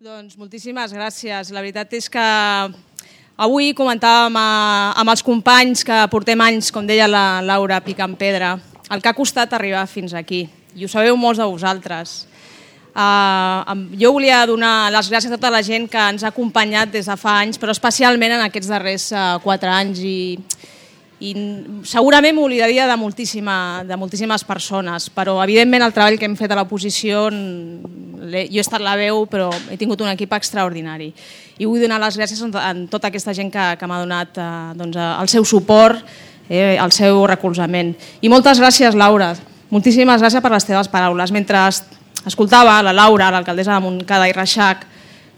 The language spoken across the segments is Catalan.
Doncs moltíssimes gràcies. La veritat és que avui comentàvem amb els companys que portem anys, com deia la Laura, picant pedra, el que ha costat arribar fins aquí. I ho sabeu molts de vosaltres. Jo volia donar les gràcies a tota la gent que ens ha acompanyat des de fa anys, però especialment en aquests darrers 4 anys i segurament m'oblidaria de moltíssimes persones, però evidentment el treball que hem fet a l'oposició, jo he estat la veu, però he tingut un equip extraordinari. I vull donar les gràcies a tota aquesta gent que m'ha donat el seu suport, el seu recolzament. I moltes gràcies, Laura, moltíssimes gràcies per les teves paraules. Mentre escoltava la Laura, l'alcaldessa de Montcada i Reixac,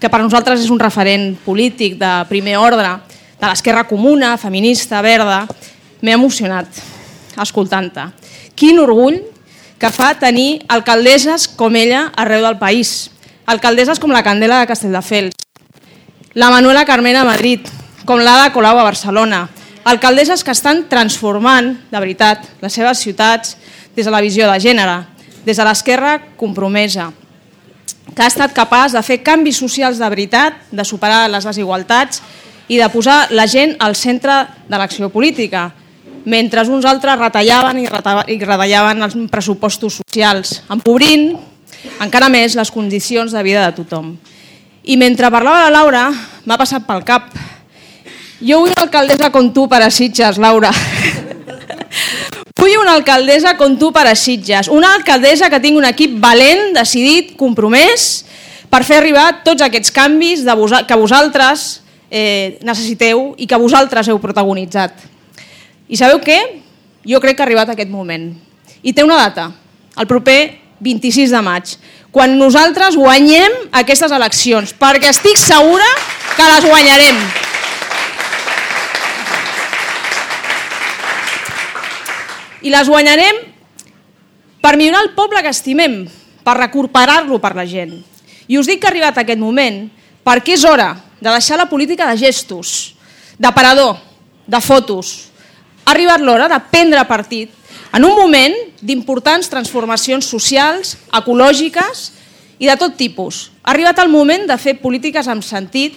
que per nosaltres és un referent polític de primer ordre, de l'esquerra comuna, feminista, verda, m'he emocionat escoltant-te. Quin orgull que fa tenir alcaldesses com ella arreu del país. Alcaldesses com la Candela de Castelldefels, la Manuela Carmena a Madrid, com l'Ada Colau a Barcelona. Alcaldesses que estan transformant, de veritat, les seves ciutats des de la visió de gènere, des de l'esquerra compromesa, que ha estat capaç de fer canvis socials de veritat, de superar les desigualtats i de posar la gent al centre de l'acció política, mentre uns altres retallaven i retallaven els pressupostos socials, empobrint encara més les condicions de vida de tothom. I mentre parlava la Laura, m'ha passat pel cap: jo vull una alcaldessa com tu per a Sitges, Laura. Vull una alcaldessa com tu per a Sitges, una alcaldessa que tingui un equip valent, decidit, compromès, per fer arribar tots aquests canvis que vosaltres necessiteu i que vosaltres heu protagonitzat. I sabeu què? Jo crec que ha arribat aquest moment. I té una data, el proper 26 de maig, quan nosaltres guanyem aquestes eleccions, perquè estic segura que les guanyarem. I les guanyarem per millorar el poble que estimem, per recuperar-lo per la gent. I us dic que ha arribat aquest moment perquè és hora de deixar la política de gestos, d'aparador, de fotos. Ha arribat l'hora de prendre partit en un moment d'importants transformacions socials, ecològiques i de tot tipus. Ha arribat el moment de fer polítiques amb sentit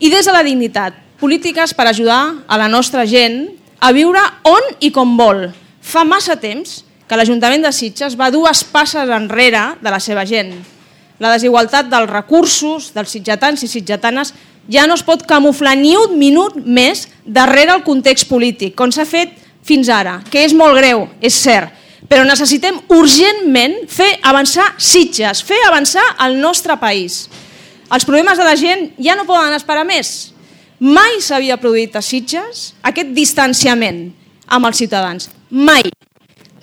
i des de la dignitat, polítiques per ajudar a la nostra gent a viure on i com vol. Fa massa temps que l'Ajuntament de Sitges va 2 passes enrere de la seva gent. La desigualtat dels recursos dels sitgetans i sitgetanes ja no es pot camuflar ni un minut més darrere el context polític, com s'ha fet fins ara, que és molt greu, és cert, però necessitem urgentment fer avançar Sitges, fer avançar el nostre país. Els problemes de la gent ja no poden esperar més. Mai s'havia produït a Sitges aquest distanciament amb els ciutadans, mai.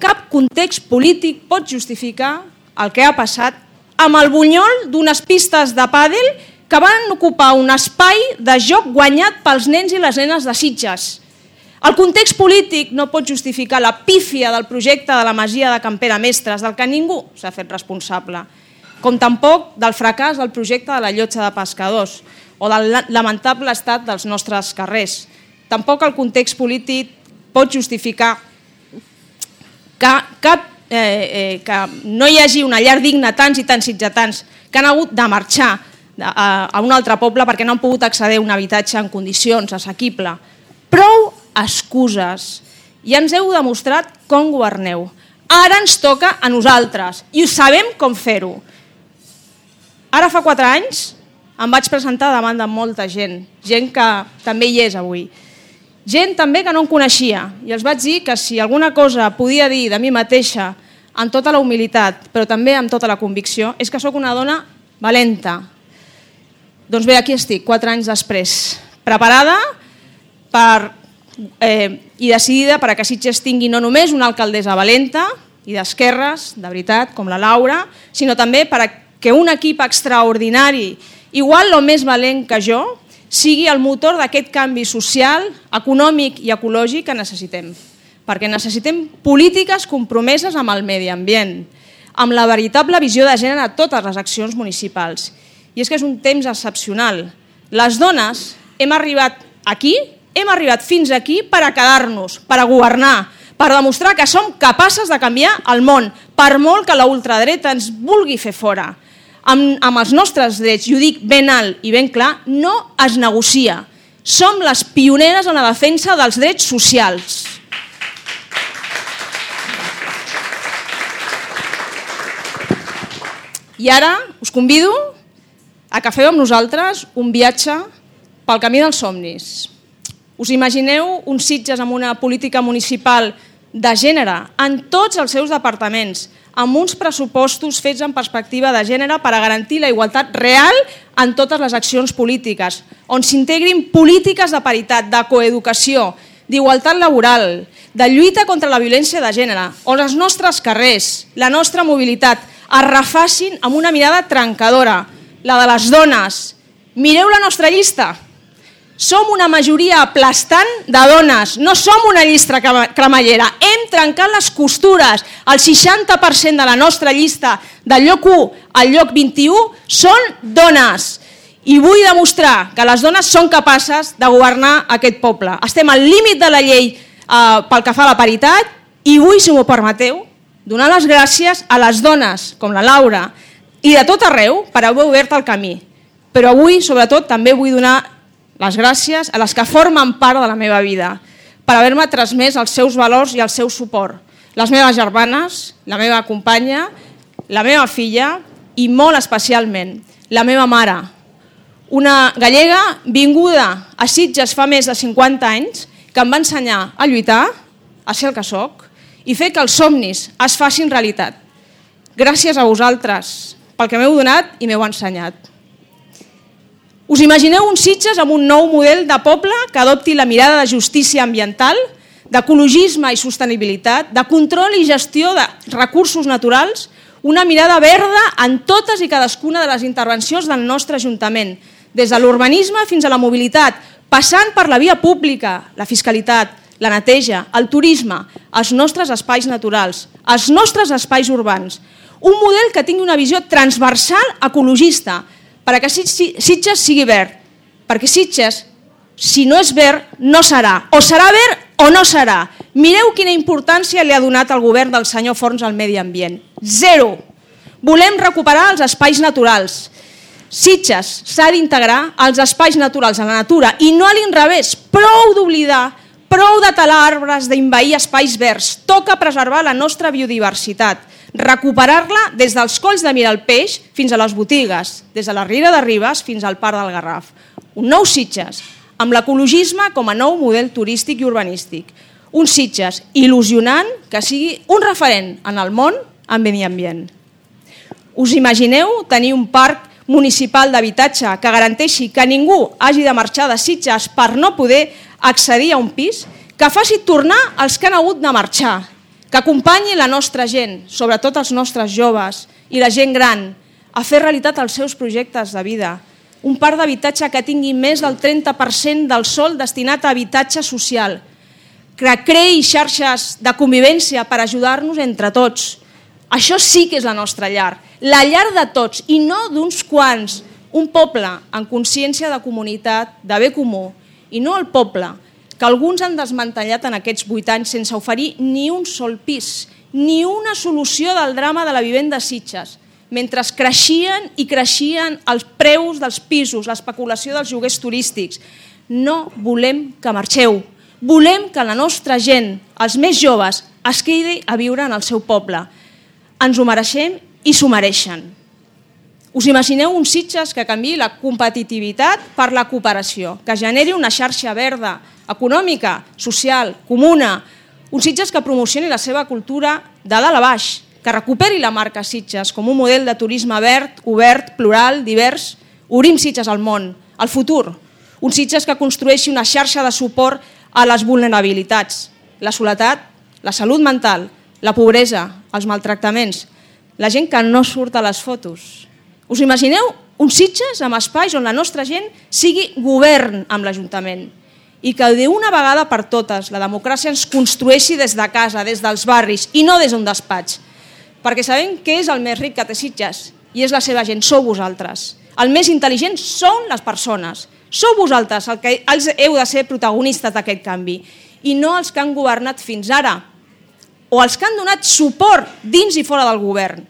Cap context polític pot justificar el que ha passat amb el bunyol d'unes pistes de pàdel que van ocupar un espai de joc guanyat pels nens i les nenes de Sitges. El context polític no pot justificar la pífia del projecte de la masia de Campera Mestres, del que ningú s'ha fet responsable, com tampoc del fracàs del projecte de la llotja de pescadors o del lamentable estat dels nostres carrers. Tampoc el context polític pot justificar que no hi hagi una llar digna tants i tants sitgetans que han hagut de marxar a un altre poble perquè no han pogut accedir a un habitatge en condicions assequible. Prou excuses. Ja ens heu demostrat com governeu. Ara ens toca a nosaltres i ho sabem com fer-ho. Ara fa 4 anys em vaig presentar davant de molta gent que també hi és avui. Gent també que no em coneixia i els vaig dir que si alguna cosa podia dir de mi mateixa amb tota la humilitat, però també amb tota la convicció, és que sóc una dona valenta. Doncs bé, aquí estic, 4 anys després, preparada i decidida perquè Sitges tingui no només una alcaldessa valenta i d'esquerres, de veritat, com la Laura, sinó també perquè un equip extraordinari, igual o més valent que jo, sigui el motor d'aquest canvi social, econòmic i ecològic que necessitem. Perquè necessitem polítiques compromeses amb el medi ambient, amb la veritable visió de gènere a totes les accions municipals. I és que és un temps excepcional. Les dones hem arribat aquí, hem arribat fins aquí per a quedar-nos, per a governar, per demostrar que som capaces de canviar el món, per molt que la ultradreta ens vulgui fer fora. amb els nostres drets, i ho dic ben alt i ben clar, no es negocia. Som les pioneres en la defensa dels drets socials. I ara us convido a que feu amb nosaltres un viatge pel camí dels somnis. Us imagineu uns Sitges amb una política municipal de gènere en tots els seus departaments, amb uns pressupostos fets en perspectiva de gènere per a garantir la igualtat real en totes les accions polítiques, on s'integrin polítiques de paritat, de coeducació, d'igualtat laboral, de lluita contra la violència de gènere, on els nostres carrers, la nostra mobilitat, es refacin amb una mirada trencadora, la de les dones. Mireu la nostra llista. Som una majoria aplastant de dones, no som una llista cremallera. Hem trencat les costures. El 60% de la nostra llista, del lloc 1 al lloc 21, són dones. I vull demostrar que les dones són capaces de governar aquest poble. Estem al límit de la llei pel que fa a la paritat i vull, si m'ho permeteu, donar les gràcies a les dones, com la Laura, i de tot arreu per haver obert el camí. Però avui, sobretot, també vull donar les gràcies a les que formen part de la meva vida, per haver-me transmès els seus valors i el seu suport. Les meves germanes, la meva companya, la meva filla i molt especialment la meva mare, una gallega vinguda a Sitges fa més de 50 anys, que em va ensenyar a lluitar, a ser el que soc, i fer que els somnis es facin realitat. Gràcies a vosaltres pel que m'heu donat i m'heu ensenyat. Us imagineu uns Sitges amb un nou model de poble que adopti la mirada de justícia ambiental, d'ecologisme i sostenibilitat, de control i gestió de recursos naturals, una mirada verda en totes i cadascuna de les intervencions del nostre Ajuntament, des de l'urbanisme fins a la mobilitat, passant per la via pública, la fiscalitat, la neteja, el turisme, els nostres espais naturals, els nostres espais urbans. Un model que tingui una visió transversal ecologista, perquè Sitges sigui verd. Perquè Sitges, si no és verd, no serà. O serà verd o no serà. Mireu quina importància li ha donat el govern del senyor Forns al medi ambient. 0. Volem recuperar els espais naturals. Sitges s'ha d'integrar als espais naturals, a la natura, i no a l'inrevés. Prou d'oblidar, prou de talar arbres, d'envair espais verds. Toca preservar la nostra biodiversitat, recuperar-la des dels colls de Miralpeix fins a les botigues, des de la Riera de Ribes fins al Parc del Garraf. Un nou Sitges, amb l'ecologisme com a nou model turístic i urbanístic. Un Sitges il·lusionant que sigui un referent en el món en medi ambient. Us imagineu tenir un parc municipal d'habitatge que garanteixi que ningú hagi de marxar de Sitges per no poder accedir a un pis, que faci tornar els que han hagut de marxar, que acompanyi la nostra gent, sobretot els nostres joves i la gent gran, a fer realitat els seus projectes de vida. Un parc d'habitatge que tingui més del 30% del sòl destinat a habitatge social, que creï xarxes de convivència per ajudar-nos entre tots. Això sí que és la nostra llar, la llar de tots i no d'uns quants, un poble en consciència de comunitat, de bé comú, i no el poble que alguns han desmantellat en aquests 8 anys sense oferir ni un sol pis, ni una solució del drama de la vivenda a Sitges, mentre creixien i creixien els preus dels pisos, l'especulació dels lloguers turístics. No volem que marxeu, volem que la nostra gent, els més joves, es quedi a viure en el seu poble. Ens ho mereixem i s'ho mereixen. Us imagineu un Sitges que canviï la competitivitat per la cooperació, que generi una xarxa verda, econòmica, social, comuna, un Sitges que promocioni la seva cultura de dalt a baix, que recuperi la marca Sitges com un model de turisme verd, obert, plural, divers. Obrim Sitges al món, al futur. Un Sitges que construeixi una xarxa de suport a les vulnerabilitats, la soledat, la salut mental, la pobresa, els maltractaments, la gent que no surt a les fotos. Us imagineu un Sitges amb espais on la nostra gent sigui govern amb l'Ajuntament i que d'una vegada per totes la democràcia ens construeixi des de casa, des dels barris i no des d'un despatx. Perquè sabem què és el més ric que té Sitges i és la seva gent, sou vosaltres. El més intel·ligent són les persones. Sou vosaltres els que heu de ser protagonistes d'aquest canvi i no els que han governat fins ara o els que han donat suport dins i fora del govern.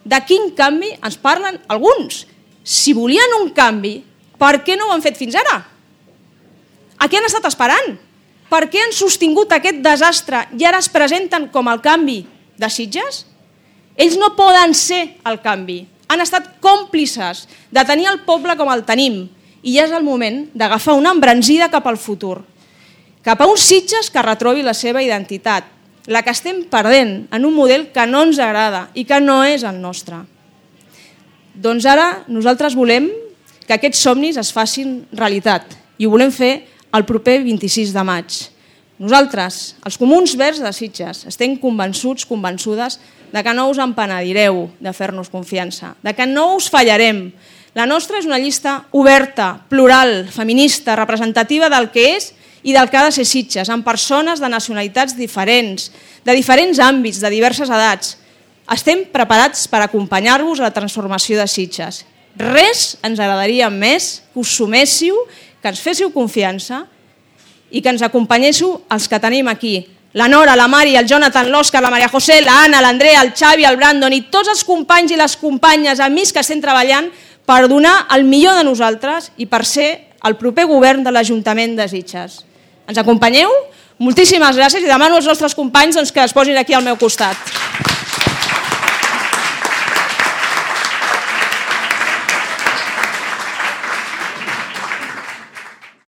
De quin canvi ens parlen alguns? Si volien un canvi, per què no ho han fet fins ara? A què han estat esperant? Per què han sostingut aquest desastre i ara es presenten com el canvi de Sitges? Ells no poden ser el canvi. Han estat còmplices de tenir el poble com el tenim i ja és el moment d'agafar una embranzida cap al futur, cap a uns Sitges que retrobi la seva identitat, la que estem perdent en un model que no ens agrada i que no és el nostre. Doncs ara nosaltres volem que aquests somnis es facin realitat i ho volem fer el proper 26 de maig. Nosaltres, els Comuns Verds de Sitges, estem convençuts, convençudes de que no us empenedireu de fer-nos confiança, de que no us fallarem. La nostra és una llista oberta, plural, feminista, representativa del que és i del que ha de ser Sitges, amb persones de nacionalitats diferents, de diferents àmbits, de diverses edats. Estem preparats per acompanyar-vos a la transformació de Sitges. Res ens agradaria més que us suméssiu, que ens féssiu confiança i que ens acompanyéssiu els que tenim aquí. La Nora, la Mari, el Jonathan, l'Òscar, la Maria José, la Anna, l'Andrea, el Xavi, el Brandon i tots els companys i les companyes, amics que estem treballant per donar el millor de nosaltres i per ser el proper govern de l'Ajuntament de Sitges. Ens acompanyeu? Moltíssimes gràcies i demano als nostres companys que es posin aquí al meu costat.